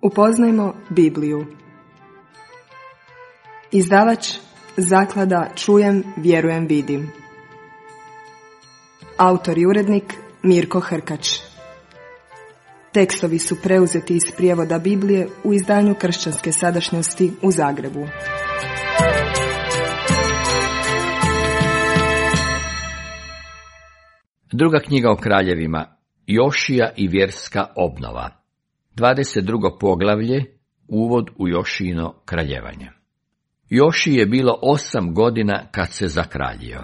Upoznajmo Bibliju. Izdavač Zaklada Čujem, vjerujem, vidim. Autor i urednik Mirko Hrkač. Tekstovi su preuzeti iz prijevoda Biblije u izdanju Kršćanske sadašnjosti u Zagrebu. Druga knjiga o kraljevima, Jošija i vjerska obnova. 22. poglavlje, uvod u Jošijino kraljevanje. Jošiji je bilo 8 godina kad se zakraljio.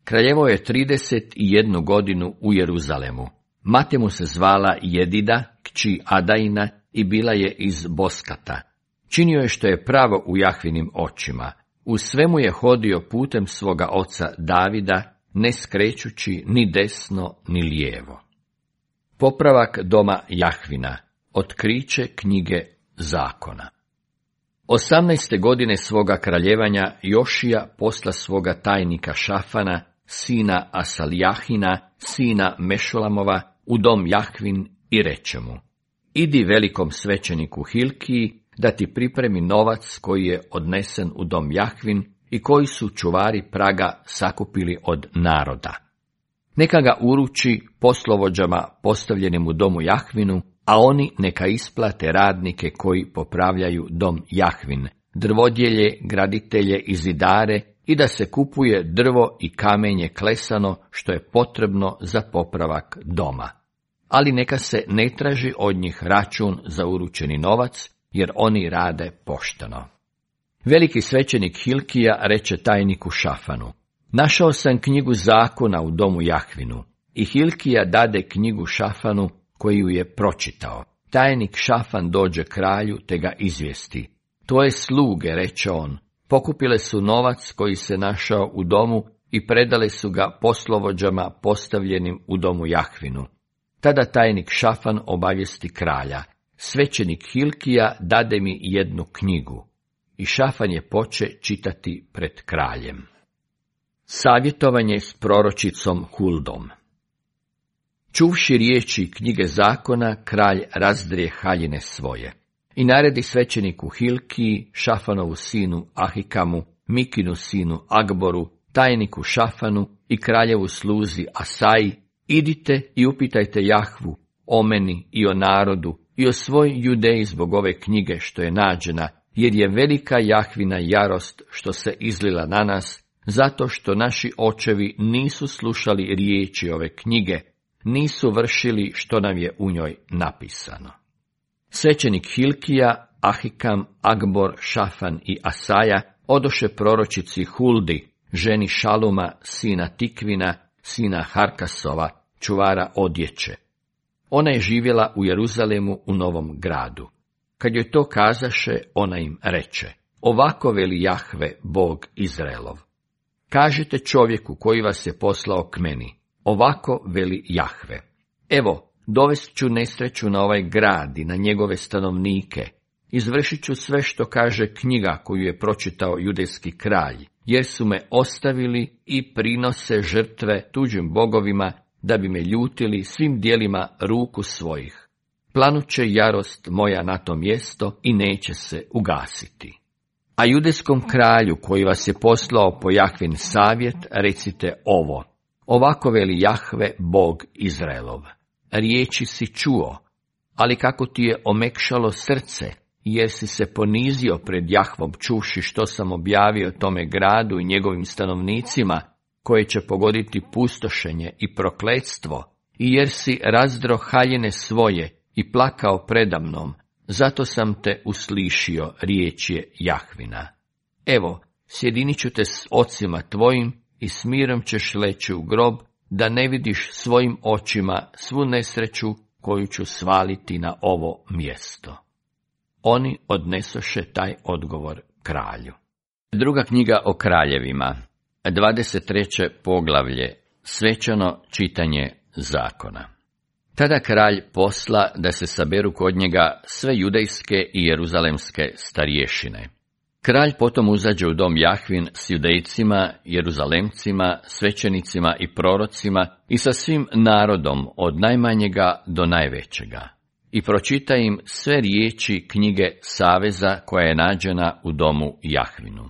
Kraljevao je 31 godinu u Jeruzalemu. Mati mu se zvala Jedida, kći Adaina, i bila je iz Boskata. Činio je što je pravo u Jahvinim očima. U svemu je hodio putem svoga oca Davida, ne skrećući ni desno ni lijevo. Popravak doma Jahvina. Otkriće knjige zakona. 18. godine svoga kraljevanja Jošija posla svoga tajnika Šafana, sina Asalijahina, sina Mešulamova, u dom Jahvin i reče mu: idi velikom svećeniku Hilkiji da ti pripremi novac koji je odnesen u dom Jahvin i koji su čuvari praga sakupili od naroda. Neka ga uruči poslovođama postavljenim u domu Jahvinu, a oni neka isplate radnike koji popravljaju dom Jahvin, drvodjelje, graditelje i zidare, i da se kupuje drvo i kamenje klesano što je potrebno za popravak doma. Ali neka se ne traži od njih račun za uručeni novac, jer oni rade pošteno. Veliki svećenik Hilkija reče tajniku Šafanu: našao sam knjigu zakona u domu Jahvinu. I Hilkija dade knjigu Šafanu, koji ju je pročitao. Tajnik Šafan dođe kralju te ga izvijesti: tvoje sluge, reče on, pokupile su novac koji se našao u domu i predale su ga poslovođama postavljenim u domu Jahvinu. Tada tajnik Šafan obavijesti kralja: svećenik Hilkija dade mi jednu knjigu. I Šafan je poče čitati pred kraljem. Savjetovanje s proročicom Huldom. Čuvši riječi knjige zakona, kralj razdrije haljine svoje i naredi svećeniku Hilkiji, Šafanovu sinu Ahikamu, Mikinu sinu Agboru, tajniku Šafanu i kraljevu sluzi Asaji: idite i upitajte Jahvu o meni i o narodu i o svoj Judeji zbog ove knjige što je nađena, jer je velika Jahvina jarost što se izlila na nas, zato što naši očevi nisu slušali riječi ove knjige, nisu vršili što nam je u njoj napisano. Svećenik Hilkija, Ahikam, Agbor, Šafan i Asaja odoše proročici Huldi, ženi Šaluma, sina Tikvina, sina Harkasova, čuvara odjeće. Ona je živjela u Jeruzalemu u Novom gradu. Kad joj to kazaše, ona im reče: ovako veli Jahve, Bog Izraelov. Kažite čovjeku koji vas je poslao k meni: ovako veli Jahve. Evo, dovest ću nesreću na ovaj grad i na njegove stanovnike. Izvršit ću sve što kaže knjiga koju je pročitao judejski kralj, jer su me ostavili i prinose žrtve tuđim bogovima da bi me ljutili svim dijelima ruku svojih. Planuće jarost moja na to mjesto i neće se ugasiti. A judejskom kralju koji vas je poslao po Jahvin savjet recite ovo: ovako veli Jahve, Bog Izraelov. Riječi si čuo, ali kako ti je omekšalo srce, jer si se ponizio pred Jahvom čuvši što sam objavio tome gradu i njegovim stanovnicima, koje će pogoditi pustošenje i prokletstvo, i jer si razdro haljine svoje i plakao predamnom, zato sam te uslišio, riječ je Jahvina. Evo, sjedinit ću te s ocima tvojim i s mirom ćeš leći u grob, da ne vidiš svojim očima svu nesreću koju ću svaliti na ovo mjesto. Oni odnesoše taj odgovor kralju. Druga knjiga o kraljevima, 23. poglavlje, svečano čitanje zakona. Tada kralj posla da se saberu kod njega sve judejske i jeruzalemske starješine. Kralj potom uzađe u dom Jahvin s Judejcima, Jeruzalemcima, svećenicima i prorocima i sa svim narodom od najmanjega do najvećega. i pročita im sve riječi knjige saveza koja je nađena u domu Jahvinu.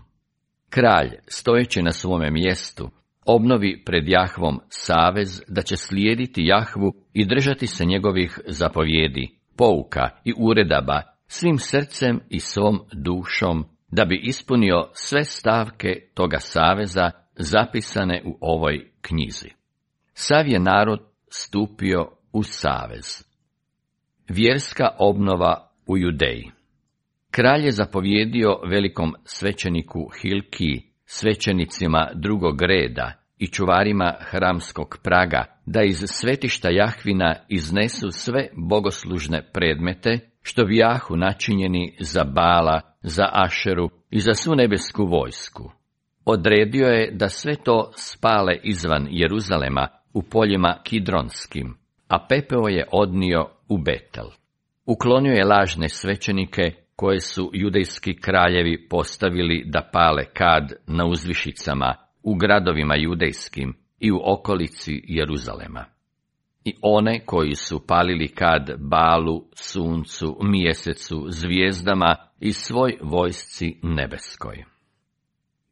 Kralj, stojeći na svome mjestu, obnovi pred Jahvom savez da će slijediti Jahvu i držati se njegovih zapovjedi, pouka i uredaba svim srcem i svom dušom, da bi ispunio sve stavke toga saveza zapisane u ovoj knjizi. Sav je narod stupio u savez. Vjerska obnova u Judeji. Kralj je zapovjedio velikom svećeniku Hilkiji, svećenicima drugog reda i čuvarima hramskog praga, da iz svetišta Jahvina iznesu sve bogoslužne predmete, što bijahu načinjeni za Bala, za Ašeru i za svu nebesku vojsku. Odredio je da sve to spale izvan Jeruzalema u poljima Kidronskim, a pepeo je odnio u Betel. Uklonio je lažne svećenike koje su judejski kraljevi postavili da pale kad na uzvišicama, u gradovima judejskim i u okolici Jeruzalema. I one koji su palili kad Balu, suncu, mjesecu, zvijezdama i svoj vojsci nebeskoj.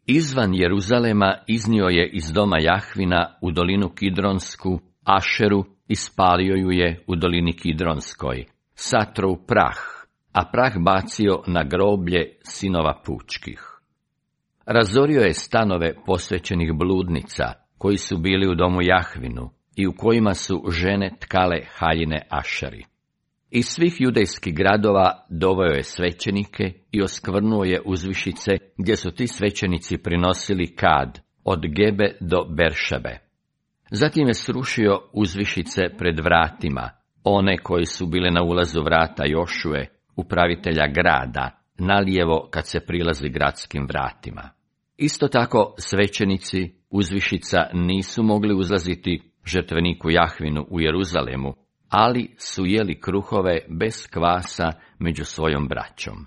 Izvan Jeruzalema iznio je iz doma Jahvina u dolinu Kidronsku Ašeru i spalio ju je u dolini Kidronskoj, satro u prah, a prah bacio na groblje sinova pučkih. Razorio je stanove posvećenih bludnica, koji su bili u domu Jahvinu i u kojima su žene tkale haljine Ašeri. Iz svih judejskih gradova doveo je svećenike i oskvrnuo je uzvišice gdje su ti svećenici prinosili kad, od Gebe do Beršebe. Zatim je srušio uzvišice pred vratima, one koji su bile na ulazu vrata Jošue, upravitelja grada, nalijevo kad se prilazi gradskim vratima. Isto tako svećenici uzvišica nisu mogli uzlaziti žrtveniku Jahvinu u Jeruzalemu, ali su jeli kruhove bez kvasa među svojom braćom.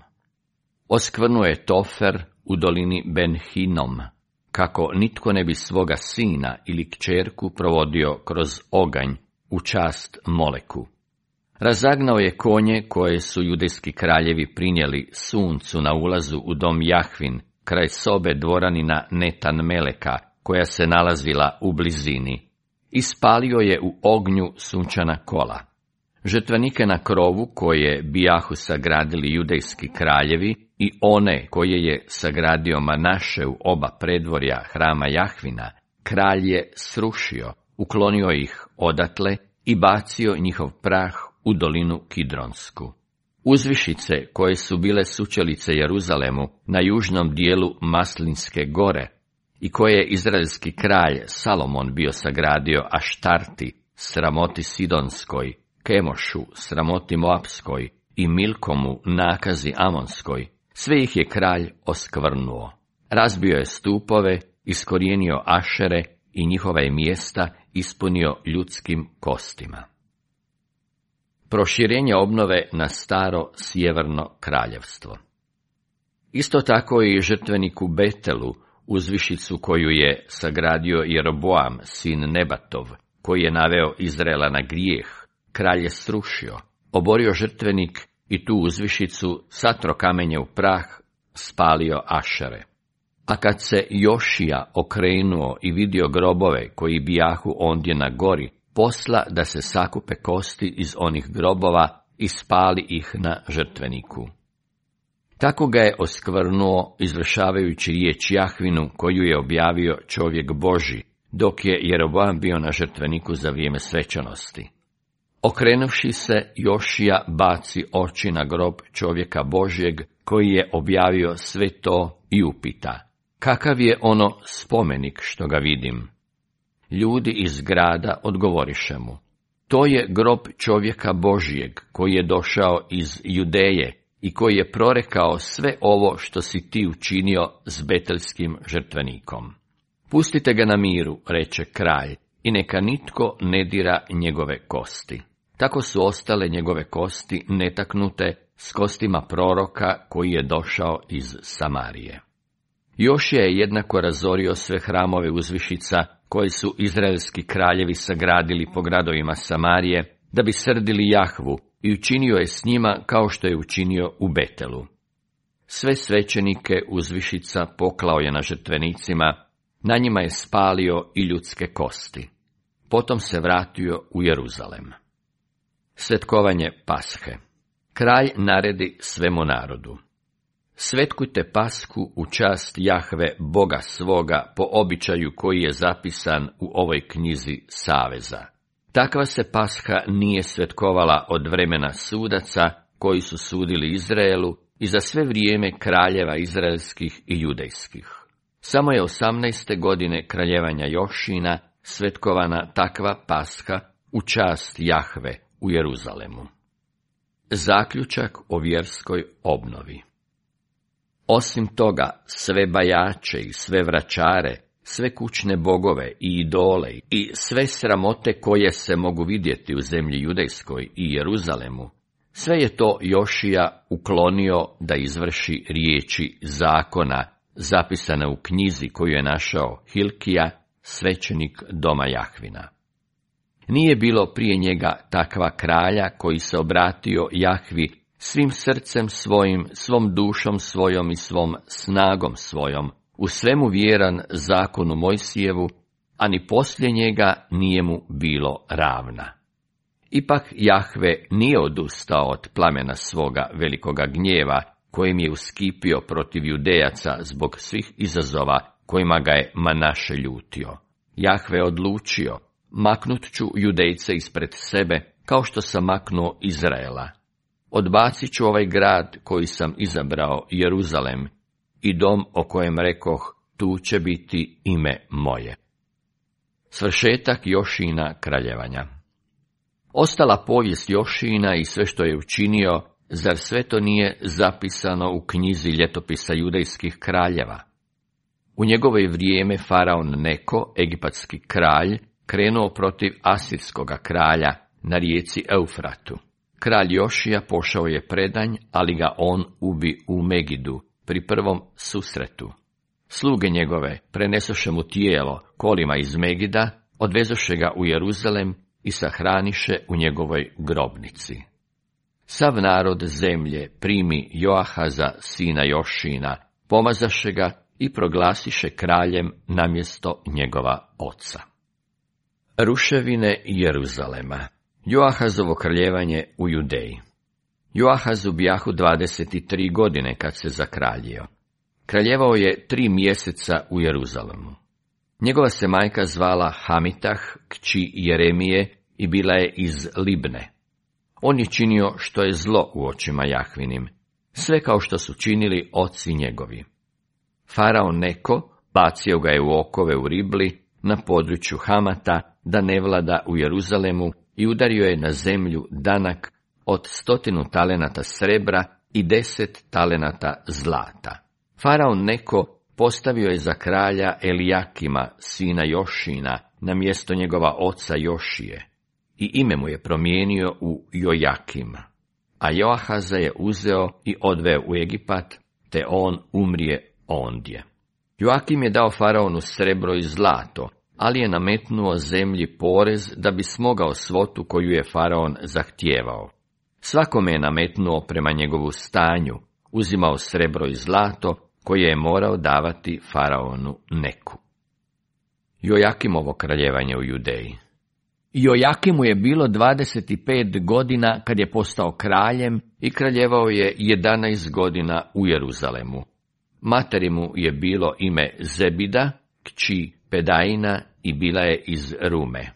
Oskvrnuo je Tofer u dolini Ben-Hinom, kako nitko ne bi svoga sina ili kćerku provodio kroz oganj u čast Moleku. Razagnao je konje koje su judejski kraljevi prinijeli suncu na ulazu u dom Jahvin, kraj sobe dvoranina Netan Meleka, koja se nalazila u blizini. Ispalio je u ognju sunčana kola. Žrtvenike na krovu koje bijahu sagradili judejski kraljevi i one koje je sagradio Manaše u oba predvorja hrama Jahvina, kralj je srušio, uklonio ih odatle i bacio njihov prah u dolinu Kidronsku. Uzvišice koje su bile sučelice Jeruzalemu na južnom dijelu Maslinske gore i koje je izraelski kralj Salomon bio sagradio Aštarti, sramoti Sidonskoj, Kemošu, sramoti Moapskoj i Milkomu, nakazi Amonskoj, sve ih je kralj oskvrnuo. Razbio je stupove, iskorijenio Ašere i njihova je mjesta ispunio ljudskim kostima. Proširenje obnove na staro sjeverno kraljevstvo. Isto tako i žrtveniku Betelu, uzvišicu koju je sagradio Jeroboam, sin Nebatov, koji je naveo Izraela na grijeh, kralj je srušio, oborio žrtvenik i tu uzvišicu satro kamenje u prah, spalio Ašere. A kad se Jošija okrenuo i vidio grobove koji bijahu ondje na gori, posla da se sakupe kosti iz onih grobova i spali ih na žrtveniku. Tako ga je oskvrnuo izvršavajući riječ Jahvinu koju je objavio čovjek Božji, dok je Jeroboam bio na žrtveniku za vrijeme svečanosti. Okrenuvši se, Jošija baci oči na grob čovjeka Božjeg koji je objavio sve to i upita: kakav je ono spomenik što ga vidim? Ljudi iz grada odgovoriše mu: to je grob čovjeka Božjeg koji je došao iz Judeje i koji je prorekao sve ovo što si ti učinio s betelskim žrtvenikom. Pustite ga na miru, reče kralj, i neka nitko ne dira njegove kosti. Tako su ostale njegove kosti netaknute s kostima proroka koji je došao iz Samarije. Jošija je jednako razorio sve hramove uzvišica koje su izraelski kraljevi sagradili po gradovima Samarije, da bi srdili Jahvu i učinio je s njima kao što je učinio u Betelu. Sve svećenike uzvišica poklao je na žrtvenicima, na njima je spalio i ljudske kosti. Potom se vratio u Jeruzalem. Svetkovanje Pashe. Kralj naredi svemu narodu: svetkujte Pashu u čast Jahve, Boga svoga, po običaju koji je zapisan u ovoj knjizi saveza. Takva se Pasha nije svetkovala od vremena sudaca koji su sudili Izraelu i za sve vrijeme kraljeva izraelskih i judejskih. Samo je 18. godine kraljevanja Jošina svetkovana takva Pasha u čast Jahve u Jeruzalemu. Zaključak o vjerskoj obnovi. Osim toga, sve bajače i sve vračare, sve kućne bogove i idole i sve sramote koje se mogu vidjeti u zemlji judejskoj i Jeruzalemu, sve je to Jošija uklonio da izvrši riječi zakona zapisane u knjizi koju je našao Hilkija, svećenik doma Jahvina. Nije bilo prije njega takva kralja koji se obratio Jahvi svim srcem svojim, svom dušom svojom i svom snagom svojom, u svemu vjeran zakonu Mojsijevu, a ni poslije njega nije mu bilo ravna. Ipak Jahve nije odustao od plamena svoga velikoga gnjeva, kojim je uskipio protiv Judejaca zbog svih izazova kojima ga je Manaše ljutio. Jahve odlučio: maknut ću Judejce ispred sebe, kao što sam maknuo Izraela. Odbacit ću ovaj grad koji sam izabrao, Jeruzalem, i dom o kojem rekoh, tu će biti ime moje. Svršetak Jošina kraljevanja. Ostala povijest Jošina i sve što je učinio, zar sve to nije zapisano u knjizi ljetopisa judejskih kraljeva? U njegovo je vrijeme faraon Neko, egipatski kralj, krenuo protiv asirskoga kralja na rijeci Eufratu. Kralj Jošija pošao je predanj, ali ga on ubi u Megidu, pri prvom susretu. Sluge njegove prenesoše mu tijelo kolima iz Megida, odvezoše ga u Jeruzalem i sahraniše u njegovoj grobnici. Sav narod zemlje primi Joahaza, sina Jošina, pomazaše ga i proglasiše kraljem namjesto njegova oca. Ruševine Jeruzalema. Joahazovo kraljevanje u Judeji. Joahazu bijahu 23 godine kad se zakraljio. Kraljevao je 3 mjeseca u Jeruzalemu. Njegova se majka zvala Hamitah, kći Jeremije, i bila je iz Libne. On je činio što je zlo u očima Jahvinim, sve kao što su činili oci njegovi. Faraon Neko bacio ga je u okove u Ribli, na području Hamata, da ne vlada u Jeruzalemu, i udario je na zemlju danak od 100 talenata srebra i 10 talenata zlata. Faraon Neko postavio je za kralja Elijakima, sina Jošina, na mjesto njegova oca Jošije, i ime mu je promijenio u Jojakim. A Joahaza je uzeo i odveo u Egipat, te on umrije ondje. Joakim je dao faraonu srebro i zlato, ali je nametnuo zemlji porez da bi smogao svotu koju je faraon zahtijevao. Svakome je nametnuo prema njegovu stanju, uzimao srebro i zlato koje je morao davati faraonu Neku. Jojakimovo kraljevanje u Judeji. Jojakimu je bilo 25 godina kad je postao kraljem i kraljevao je 11 godina u Jeruzalemu. Materi mu je bilo ime Zebida, kći Pedaina, i bila je iz Rume.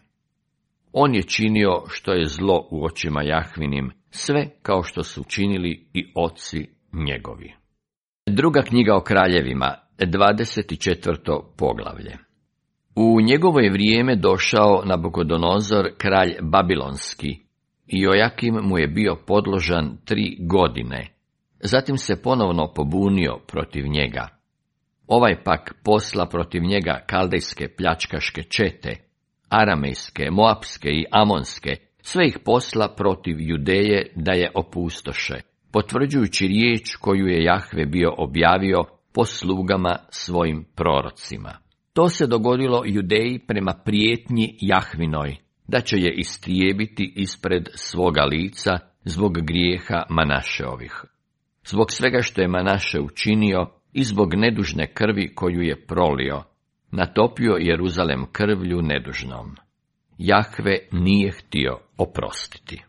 On je činio što je zlo u očima Jahvinim, sve kao što su činili i oci njegovi. Druga knjiga o kraljevima, 24. poglavlje. U njegovo je vrijeme došao Nabukodonozor, kralj babilonski, i Jojakim mu je bio podložan 3 godine. Zatim se ponovno pobunio protiv njega. Ovaj pak posla protiv njega kaldejske pljačkaške čete, aramejske, moapske i amonske, sve ih posla protiv Judeje da je opustoše, potvrđujući riječ koju je Jahve bio objavio po slugama svojim prorocima. To se dogodilo Judeji prema prijetnji Jahvinoj, da će je istrijebiti ispred svoga lica zbog grijeha Manašeovih. Zbog svega što je Manaše učinio i zbog nedužne krvi koju je prolio, natopio Jeruzalem krvlju nedužnom. Jahve nije htio oprostiti.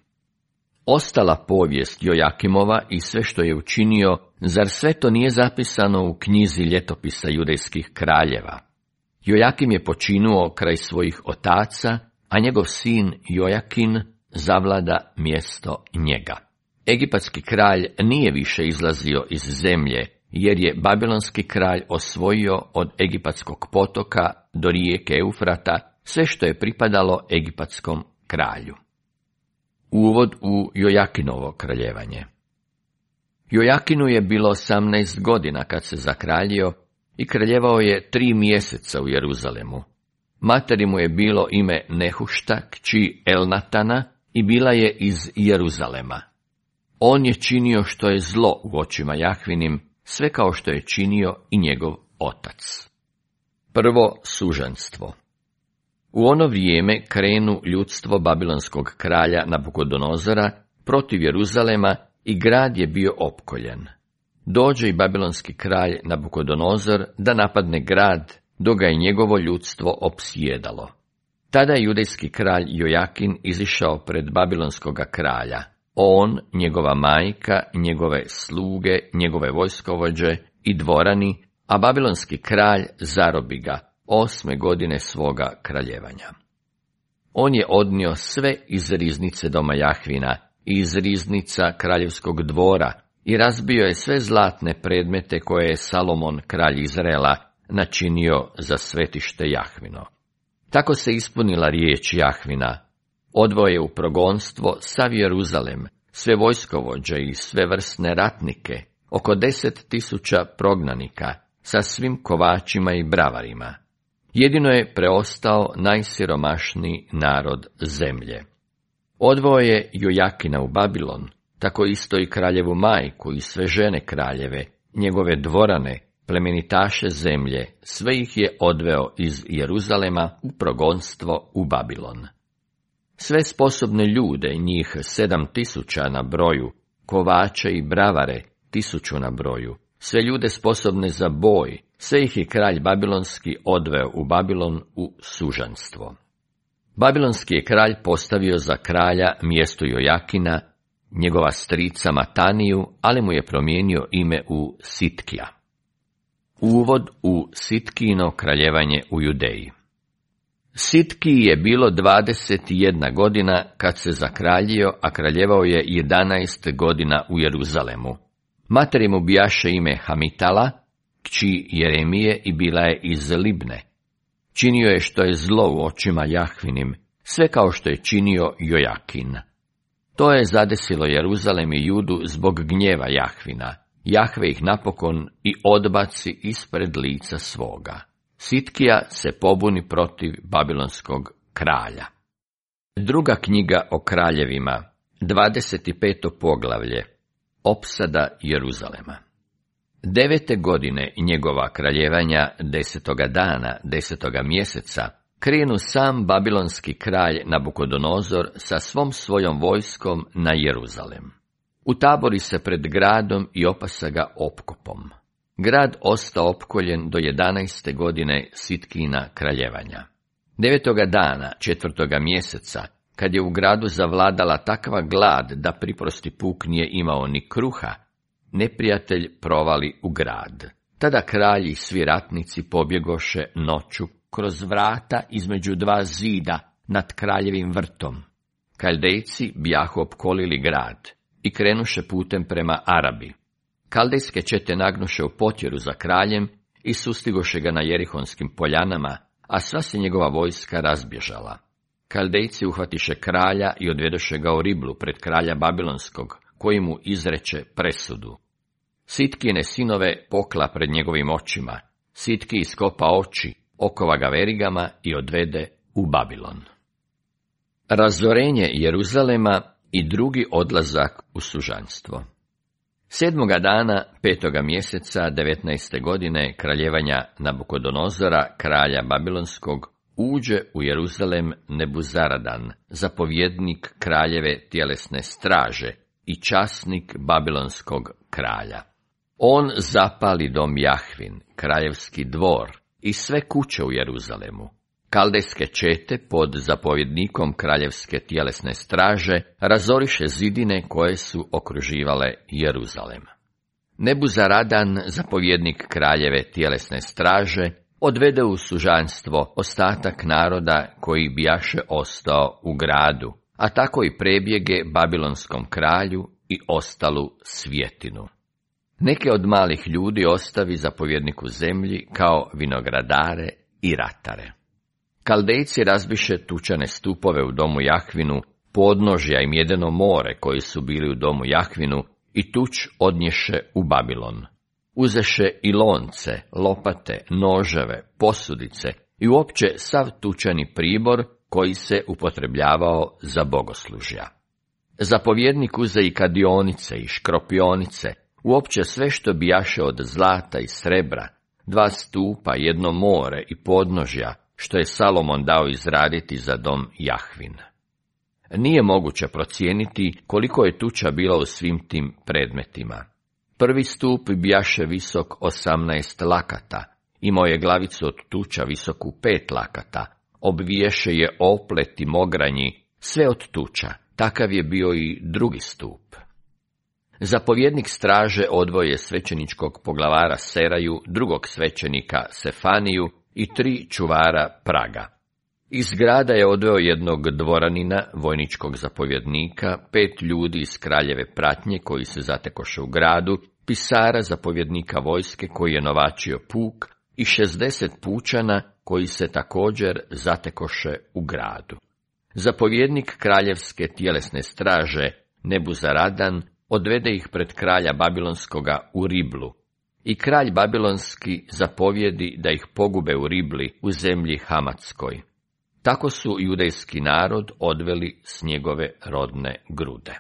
Ostala povijest Jojakimova i sve što je učinio, zar sve to nije zapisano u knjizi ljetopisa judejskih kraljeva? Jojakim je počinuo kraj svojih otaca, a njegov sin Jojakin zavlada mjesto njega. Egipatski kralj nije više izlazio iz zemlje, jer je babilonski kralj osvojio od egipatskog potoka do rijeke Eufrata sve što je pripadalo egipatskom kralju. Uvod u Jojakinovo kraljevanje. Jojakinu je bilo 18 godina kad se zakraljio i kraljevao je 3 mjeseca u Jeruzalemu. Materi mu je bilo ime Nehušta, kći Elnatana, i bila je iz Jeruzalema. On je činio što je zlo u očima Jahvinim, sve kao što je činio i njegov otac. Prvo sužanstvo. U ono vrijeme krenu ljudstvo babilonskog kralja Nabukodonozora protiv Jeruzalema i grad je bio opkoljen. Dođe i babilonski kralj Nabukodonozor da napadne grad, dok ga je njegovo ljudstvo opsjedalo. Tada je judejski kralj Jojakin izišao pred babilonskoga kralja. On, njegova majka, njegove sluge, njegove vojskovođe i dvorani, a babilonski kralj zarobi ga 8. godine svoga kraljevanja. On je odnio sve iz riznice doma Jahvina i iz riznica kraljevskog dvora i razbio je sve zlatne predmete koje je Salomon, kralj Izraela, načinio za svetište Jahvino. Tako se ispunila riječ Jahvina. Odveo je u progonstvo sav Jeruzalem, sve vojskovođe i sve vrsne ratnike, oko 10.000 prognanika, sa svim kovačima i bravarima. Jedino je preostao najsiromašniji narod zemlje. Odveo je Jojakina u Babilon, tako isto i kraljevu majku i sve žene kraljeve, njegove dvorane, plemenitaše zemlje, sve ih je odveo iz Jeruzalema u progonstvo u Babilon. Sve sposobne ljude, njih 7.000 na broju, kovače i bravare 1.000 na broju, sve ljude sposobne za boj, sve ih je kralj babilonski odveo u Babilon u sužanstvo. Babilonski je kralj postavio za kralja mjesto Jojakina, njegova strica Mataniju, ali mu je promijenio ime u Sitkija. Uvod u Sitkino kraljevanje u Judeji. Sitkiji je bilo 21 godina kad se zakraljio, a kraljevao je 11 godina u Jeruzalemu. Materi mu bijaše ime Hamitala, kći Jeremije, i bila je iz Libne. Činio je što je zlo u očima Jahvinim, sve kao što je činio Jojakin. To je zadesilo Jeruzalem i Judu zbog gnjeva Jahvina. Jahve ih napokon i odbaci ispred lica svoga. Sitkija se pobuni protiv babilonskog kralja. Druga knjiga o kraljevima, 25. poglavlje, opsada Jeruzalema. 9. godine njegova kraljevanja, 10. dana, 10. mjeseca, krenu sam babilonski kralj Nabukodonozor sa svom svojom vojskom na Jeruzalem. Utabori se pred gradom i opasa ga opkopom. Grad ostao opkoljen do 11. godine Sitkina kraljevanja. 9. dana 4. mjeseca, kad je u gradu zavladala takva glad da priprosti puk nije imao ni kruha, neprijatelj provali u grad. Tada kralji i svi ratnici pobjegoše noću kroz vrata između 2 zida nad kraljevim vrtom. Kaldejci bijahu opkolili grad i krenuše putem prema Arabi. Kaldejske čete nagnuše u potjeru za kraljem i sustigoše ga na Jerihonskim poljanama, a sva se njegova vojska razbježala. Kaldejci uhvatiše kralja i odvedoše ga u Riblu pred kralja Babilonskog, koji mu izreče presudu. Sitkine sinove pokla pred njegovim očima. Sitki iskopa oči, okova ga verigama i odvede u Babilon. Razorenje Jeruzalema i drugi odlazak u sužanstvo. 7. dana 5. mjeseca 19. godine kraljevanja Nabukodonozora, kralja Babilonskog, uđe u Jeruzalem Nebuzaradan, zapovjednik kraljeve tjelesne straže i časnik babilonskog kralja. On zapali dom Jahvin, kraljevski dvor i sve kuće u Jeruzalemu. Kaldejske čete pod zapovjednikom kraljevske tjelesne straže razoriše zidine koje su okruživale Jeruzalem. Nebuzaradan, zapovjednik kraljeve tjelesne straže, odvede u sužanstvo ostatak naroda koji bijaše ostao u gradu, a tako i prebjege babilonskom kralju i ostalu svjetinu. Neke od malih ljudi ostavi zapovjedniku zemlji kao vinogradare i ratare. Kaldejci razbiše tučane stupove u domu Jahvinu, podnožja i mjedeno more koji su bili u domu Jahvinu i tuč odnješe u Babilon. Uzeše i lonce, lopate, noževe, posudice i uopće sav tučani pribor koji se upotrebljavao za bogoslužja. Zapovjednik uze i kadionice i škropionice, uopće sve što bijaše od zlata i srebra, 2 stupa, 1 more i podnožja, što je Salomon dao izraditi za dom Jahvin. Nije moguće procijeniti koliko je tuča bila u svim tim predmetima. Prvi stup bijaše visok 18 lakata, imao je glavicu od tuča visoku 5 lakata, obviješe je oplet i mogranji, sve od tuča, takav je bio i drugi stup. Zapovjednik straže odvoje svećeničkog poglavara Seraju, drugog svećenika Sefaniju i 3 čuvara praga. Iz grada je odveo jednog dvoranina, vojničkog zapovjednika, 5 ljudi iz kraljeve pratnje koji se zatekoše u gradu, pisara zapovjednika vojske koji je novačio puk i 60 pučana koji se također zatekoše u gradu. Zapovjednik kraljevske tjelesne straže Nebuzaradan odvede ih pred kralja Babilonskoga u Riblu. I kralj Babilonski zapovjedi da ih pogube u Ribli u zemlji Hamatskoj. Tako su judejski narod odveli s njegove rodne grude.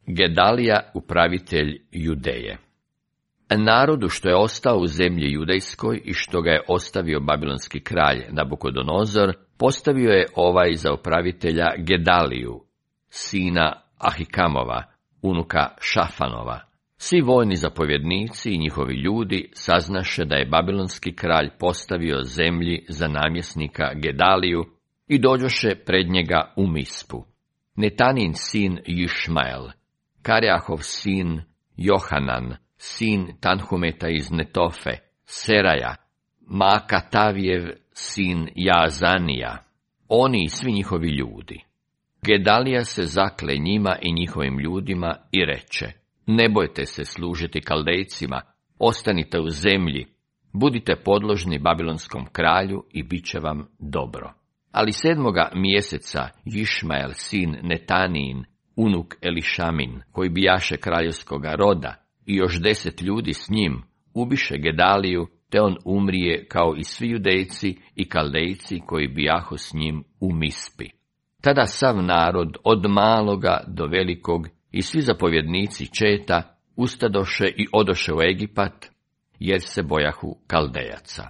Gedalija, upravitelj Judeje. Narodu što je ostao u zemlji judejskoj i što ga je ostavio babilonski kralj Nabukodonozor, postavio je ovaj za upravitelja Gedaliju, sina Ahikamova, unuka Šafanova. Svi vojni zapovjednici i njihovi ljudi saznaše da je babilonski kralj postavio zemlji za namjesnika Gedaliju i dođoše pred njega u Mispu. Netanin sin Išmael, Kareahov sin Johanan, sin Tanhumeta iz Netofe, Seraja, Maakatavijev sin Jaazanija, oni i svi njihovi ljudi. Gedalija se zakle njima i njihovim ljudima i reče: ne bojte se služiti Kaldejcima, ostanite u zemlji, budite podložni babilonskom kralju i bit će vam dobro. Ali 7. mjeseca Išmael sin Netanijin, unuk Elišamin, koji bijaše kraljevskoga roda, i još 10 ljudi s njim, ubiše Gedaliju, te on umrije kao i svi Judejci i Kaldejci koji bijahu s njim u Mispi. Tada sav narod, od maloga do velikog, i svi zapovjednici četa ustadoše i odoše u Egipat, jer se bojahu Kaldejaca.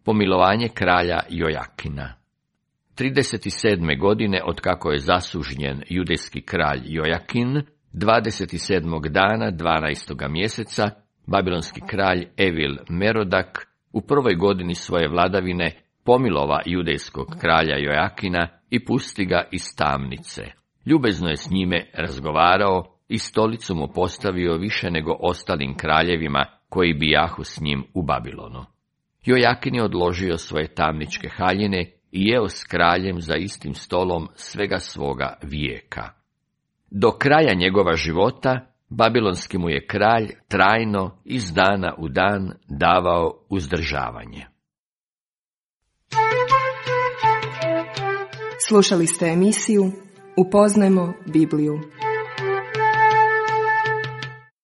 Pomilovanje kralja Jojakina. 37. godine, otkako je zasužnjen judejski kralj Jojakin, 27. dana 12. mjeseca, babilonski kralj Evil Merodak u 1. godini svoje vladavine pomilova judejskog kralja Jojakina i pusti ga iz tamnice. Ljubezno je s njime razgovarao i stolicu mu postavio više nego ostalim kraljevima koji bijahu s njim u Babilonu. Jojakin je odložio svoje tamničke haljine i jeo s kraljem za istim stolom svega svoga vijeka. Do kraja njegova života babilonski mu je kralj trajno iz dana u dan davao uzdržavanje. Slušali ste emisiju Upoznajmo Bibliju.